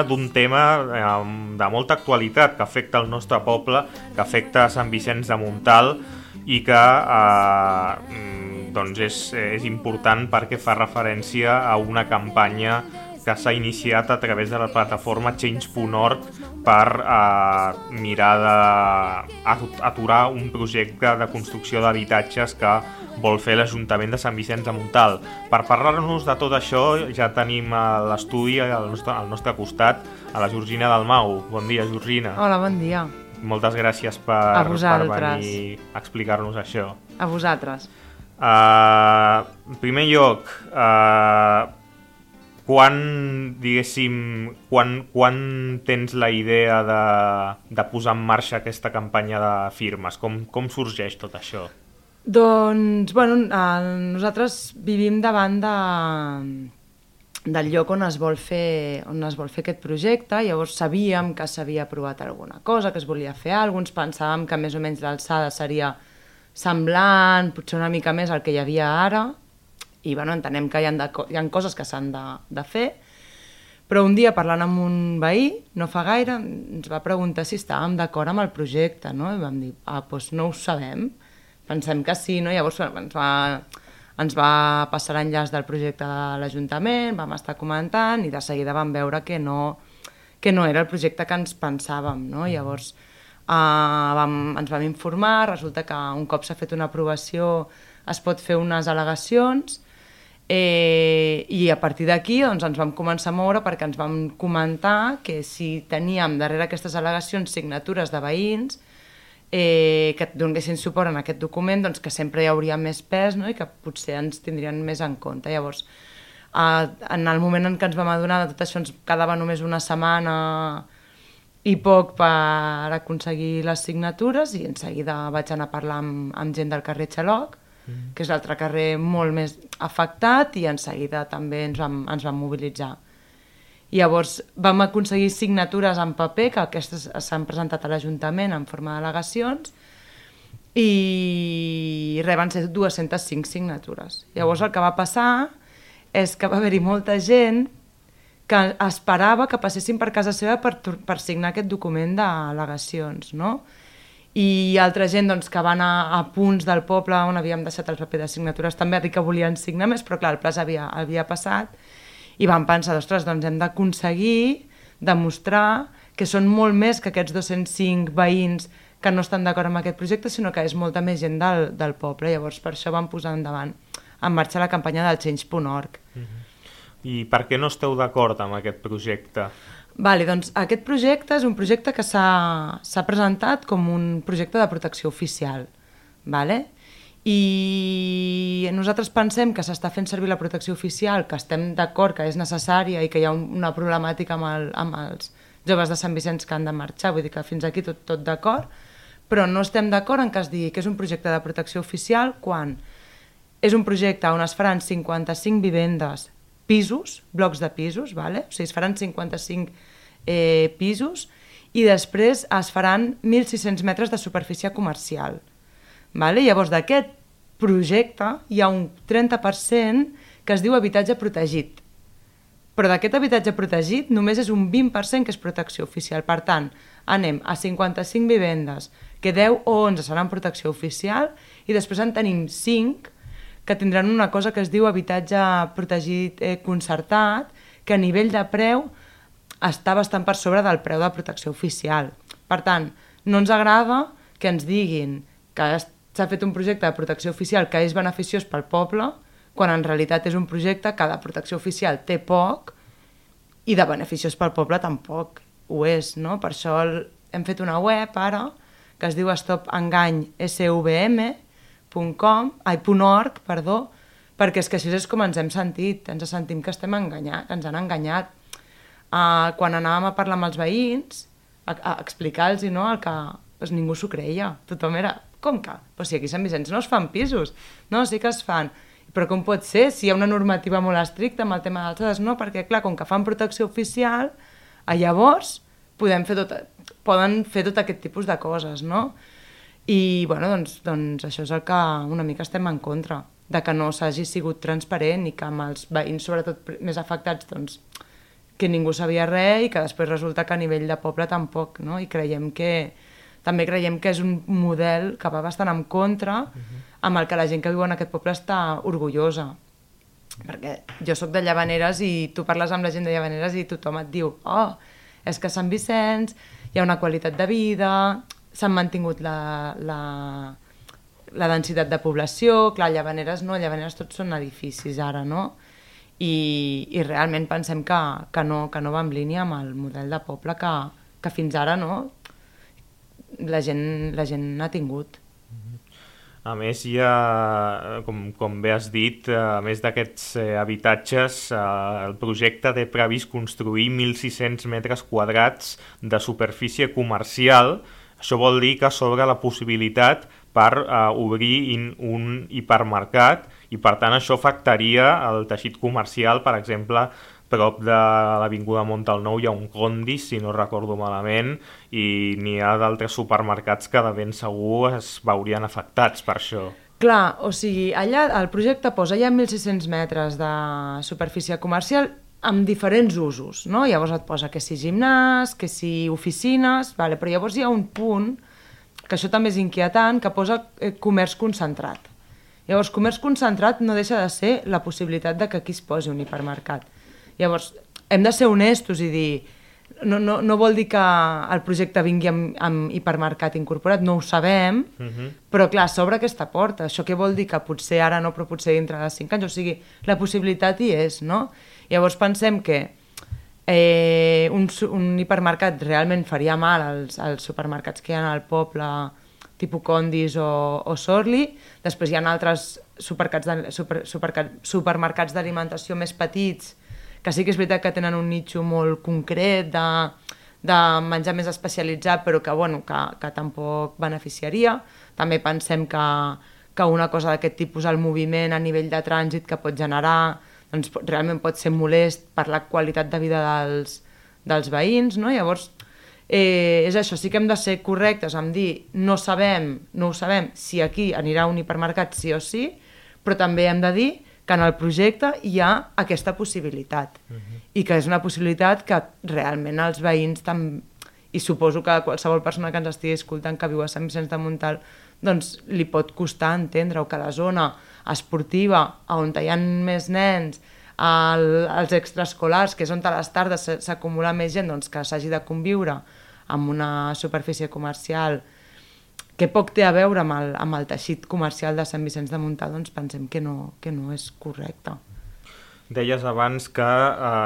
d'un tema de molta actualitat que afecta el nostre poble, que afecta Sant Vicenç de Montalt i que doncs és important perquè fa referència a una campanya que s'ha iniciat a través de la plataforma Change.org per mirar d'aturar un projecte de construcció d'habitatges que vol fer l'Ajuntament de Sant Vicenç de Montalt. Per parlar-nos de tot això ja tenim a l'estudi al nostre costat a la Georgina Dalmau. Bon dia, Georgina. Hola, bon dia. Moltes gràcies per venir a explicar-nos això. A vosaltres. En primer lloc, quan tens la idea de posar en marxa aquesta campanya de firmes? Com sorgeix tot això? Doncs, nosaltres vivim davant del lloc on es vol fer aquest projecte. Llavors sabíem que s'havia aprovat alguna cosa, que es volia fer alguna cosa, pensàvem que més o menys l'alçada seria semblant, potser una mica més el que hi havia ara, i entenem que hi ha coses que s'han de fer, però un dia parlant amb un veí, no fa gaire, ens va preguntar si estàvem d'acord amb el projecte, no? I vam dir, doncs no ho sabem, pensem que sí, no? Llavors ens va passar l'enllaç del projecte de l'Ajuntament, vam estar comentant i de seguida vam veure que no era el projecte que ens pensàvem, no? Llavors ens vam informar, resulta que un cop s'ha fet una aprovació es pot fer unes al·legacions i a partir d'aquí ens vam començar a moure perquè ens vam comentar que si teníem darrere aquestes al·legacions signatures de veïns que donessin suport en aquest document, doncs que sempre hi hauria més pes, no? I que potser ens tindrien més en compte. Llavors, en el moment en què ens vam adonar de tot això ens quedava només una setmana i poc per aconseguir les signatures i en seguida vaig anar a parlar amb gent del carrer Xaloc, que és l'altre carrer molt més afectat, i en seguida també ens vam mobilitzar. Llavors vam aconseguir signatures en paper, que aquestes s'han presentat a l'Ajuntament en forma d'al·legacions, i van ser 205 signatures. Llavors el que va passar és que va haver-hi molta gent que esperava que passessin per casa seva per signar aquest document d'al·legacions, no? I altra gent que va anar a punts del poble on havíem deixat el paper de signatures també a dir que volien signar més, però clar, el plaç havia passat, i vam pensar, ostres, doncs hem d'aconseguir demostrar que són molt més que aquests 205 veïns que no estan d'acord amb aquest projecte, sinó que és molta més gent del poble. Llavors per això vam posar en marxa la campanya del Change.org. I per què no esteu d'acord amb aquest projecte? Doncs aquest projecte és un projecte que s'ha presentat com un projecte de protecció oficial, i nosaltres pensem que s'està fent servir la protecció oficial, que estem d'acord que és necessària i que hi ha una problemàtica amb els joves de Sant Vicenç que han de marxar, vull dir que fins aquí tot d'acord, però no estem d'acord en que es digui que és un projecte de protecció oficial quan és un projecte on es faran 55 vivendes, pisos, blocs de pisos, o sigui, es faran 55 pisos i després es faran 1.600 metres de superfície comercial. Llavors d'aquest projecte hi ha un 30% que es diu habitatge protegit, però d'aquest habitatge protegit només és un 20% que és protecció oficial. Per tant, anem a 55 vivendes, que 10 o 11 seran protecció oficial i després en tenim 5 que tindran una cosa que es diu habitatge protegit concertat, que a nivell de preu està bastant per sobre del preu de protecció oficial. Per tant, no ens agrada que ens diguin que s'ha fet un projecte de protecció oficial que és beneficiós pel poble, quan en realitat és un projecte que de protecció oficial té poc i de beneficiós pel poble tampoc ho és, no? Per això hem fet una web ara que es diu stopengany.org, perquè és que així és com ens hem sentit, ens sentim que estem enganyats, que ens han enganyat. Quan anàvem a parlar amb els veïns, a explicar-los el que ningú s'ho creia, tothom era, com que? Però si aquí a Sant Vicenç no es fan pisos, no, sí que es fan, però com pot ser si hi ha una normativa molt estricta amb el tema d'alçades? No, perquè clar, com que fan protecció oficial, llavors poden fer tot aquest tipus de coses, no? I doncs això és el que una mica estem en contra, de que no s'hagi sigut transparent i que amb els veïns, sobretot més afectats, doncs que ningú sabia res i que després resulta que a nivell de poble tampoc, no? I també creiem que és un model que va bastant en contra amb el que la gent que viu en aquest poble està orgullosa. Perquè jo sóc de Llavaneres i tu parles amb la gent de Llavaneres i tothom et diu és que a Sant Vicenç hi ha una qualitat de vida, s'han mantingut la densitat de població, clar, Llavaneres no, Llavaneres tots són edificis ara, no? I realment pensem que no va en línia amb el model de poble que fins ara no, la gent ha tingut. A més, hi ha, com bé has dit, a més d'aquests habitatges, el projecte té previst construir 1.600 metres quadrats de superfície comercial. Això vol dir que s'obre la possibilitat per obrir un hipermercat i, per tant, això afectaria el teixit comercial. Per exemple, prop de l'avinguda Montalnou hi ha un Condis, si no recordo malament, i n'hi ha d'altres supermercats que de ben segur es veurien afectats per això. Clar, o sigui, allà el projecte posa ja 1.600 metres de superfície comercial amb diferents usos, no? Llavors et posa que si gimnàs, que si oficines, vale, però llavors hi ha un punt, que això també és inquietant, que posa comerç concentrat. Llavors, comerç concentrat no deixa de ser la possibilitat de que aquí es posi un hipermercat. Llavors, hem de ser honestos i dir, no vol dir que el projecte vingui amb hipermercat incorporat, no ho sabem, però clar, s'obre aquesta porta. Això què vol dir? Que potser ara no, però potser dintre de 5 anys, o sigui, la possibilitat hi és, no? Llavors pensem que un hipermercat realment faria mal als supermercats que hi ha al poble, tipus Condis o Sorli. Després hi ha altres supermercats d'alimentació més petits, que sí que és veritat que tenen un nicho molt concret de menjar més especialitzat, però que tampoc beneficiaria. També pensem que una cosa d'aquest tipus, el moviment a nivell de trànsit que pot generar, doncs realment pot ser molest per la qualitat de vida dels veïns, no? Llavors, és això, sí que hem de ser correctes en dir no ho sabem si aquí anirà un hipermercat sí o sí, però també hem de dir que en el projecte hi ha aquesta possibilitat i que és una possibilitat que realment els veïns i suposo que qualsevol persona que ens estigui escoltant que viu a Sant Vicenç de Montalt doncs li pot costar entendre que la zona esportiva on hi ha més nens, els extraescolars, que és on a les tardes s'acumula més gent, doncs que s'hagi de conviure amb una superfície comercial que poc té a veure amb el teixit comercial de Sant Vicenç de Montalt, doncs pensem que no és correcte. Deies abans que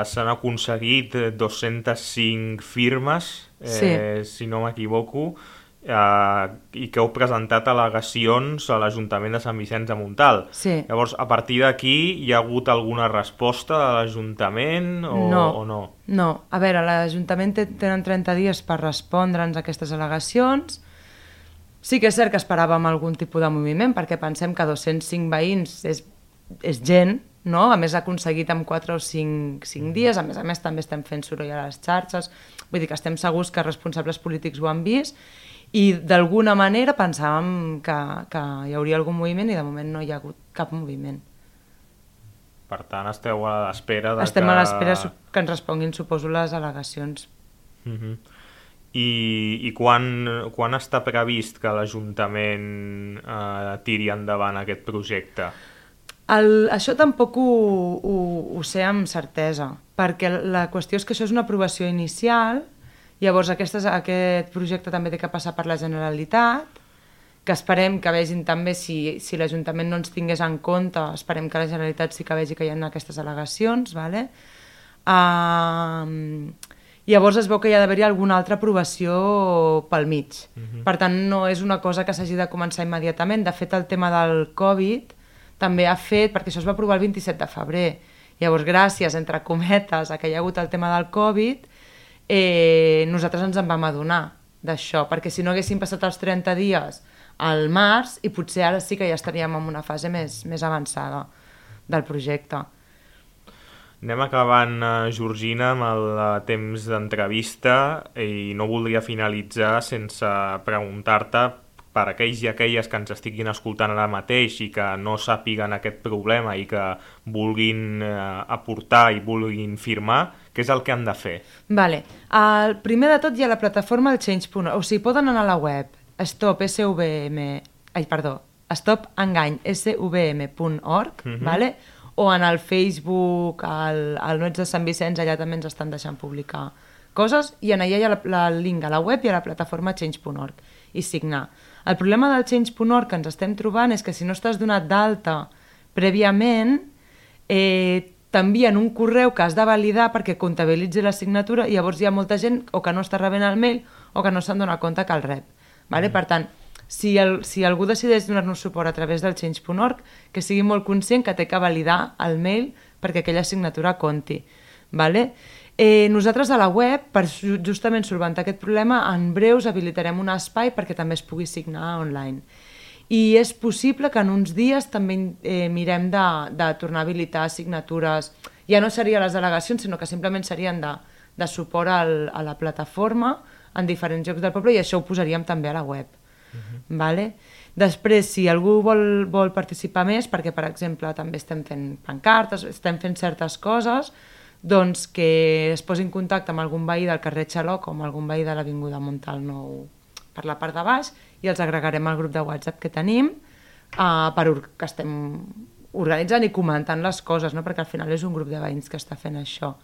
s'han aconseguit 205 firmes, si no m'equivoco, i que heu presentat al·legacions a l'Ajuntament de Sant Vicenç de Montalt. Sí. Llavors, a partir d'aquí, hi ha hagut alguna resposta de l'Ajuntament o no? No. A veure, l'Ajuntament tenen 30 dies per respondre'ns a aquestes al·legacions. Sí que és cert que esperàvem algun tipus de moviment, perquè pensem que 205 veïns és gent, no? A més, ha aconseguit en 4 o 5 dies, a més també estem fent soroll a les xarxes, vull dir que estem segurs que responsables polítics ho han vist, i d'alguna manera pensàvem que hi hauria algun moviment i de moment no hi ha hagut cap moviment. Per tant, esteu a l'espera Estem a l'espera que ens responguin, suposo, les al·legacions. I quan està previst que l'Ajuntament tiri endavant aquest projecte? Això tampoc ho sé amb certesa, perquè la qüestió és que això és una aprovació inicial, llavors aquest projecte també té que passar per la Generalitat, que esperem que vegin també, si l'Ajuntament no ens tingués en compte, esperem que la Generalitat sí que vegi que hi ha aquestes al·legacions, ¿vale? Llavors es veu que hi ha d'haver-hi alguna altra aprovació pel mig. Per tant, no és una cosa que s'hagi de començar immediatament. De fet, el tema del Covid també ha fet, perquè això es va aprovar el 27 de febrer. Llavors, gràcies, entre cometes, a que hi ha hagut el tema del Covid, nosaltres ens en vam adonar d'això, perquè si no haguessin passat els 30 dies al març, i potser ara sí que ja estaríem en una fase més avançada del projecte. Anem acabant, Georgina, amb el temps d'entrevista i no voldria finalitzar sense preguntar-te per aquells i aquelles que ens estiguin escoltant ara mateix i que no sàpiguen aquest problema i que vulguin aportar i vulguin firmar, què és el que han de fer? Vale. Primer de tot hi ha la plataforma del Change.org, o sigui, poden anar a la web stopengany.org, vale? O en el Facebook, al Nois de Sant Vicenç, allà també ens estan deixant publicar coses, i en allà hi ha el link a la web i a la plataforma Change.org, i signar. El problema del Change.org que ens estem trobant és que si no estàs donat d'alta prèviament, t'envien un correu que has de validar perquè comptabilitzi la signatura, i llavors hi ha molta gent o que no està rebent el mail o que no se'n dona compte que el rep. Vale? Per tant, si algú decideix donar-nos suport a través del Change.org, que sigui molt conscient que té que validar el mail perquè aquella signatura compti. Vale? Nosaltres a la web, per justament solventar aquest problema, en breus habilitarem un espai perquè també es pugui signar online. I és possible que en uns dies també mirem de tornar a habilitar signatures. Ja no serien les delegacions, sinó que simplement serien de suport a la plataforma en diferents llocs del poble, i això ho posaríem també a la web. Vale? Després, si algú vol participar més, perquè per exemple també estem fent pancartes, estem fent certes coses, doncs que es posi en contacte amb algun veí del carrer Xaloc o amb algun veí de l'avinguda Montal Nou per la part de baix, i els agregarem al grup de WhatsApp que tenim, que estem organitzant i comentant les coses, no? Perquè al final és un grup de veïns que està fent això.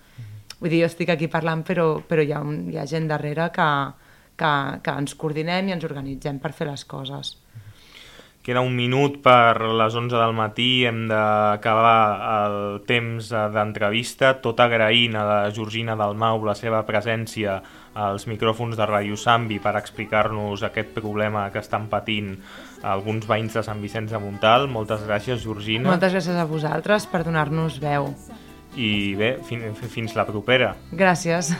Vull dir, jo estic aquí parlant, però hi ha gent darrere que ens coordinem i ens organitzem per fer les coses. Queda un minut per les 11 del matí, hem d'acabar el temps d'entrevista, tot agraint a la Georgina Dalmau la seva presència als micròfons de Ràdio Sambi per explicar-nos aquest problema que estan patint alguns veïns de Sant Vicenç de Montalt. Moltes gràcies, Georgina. Moltes gràcies a vosaltres per donar-nos veu. I bé, fins la propera. Gràcies.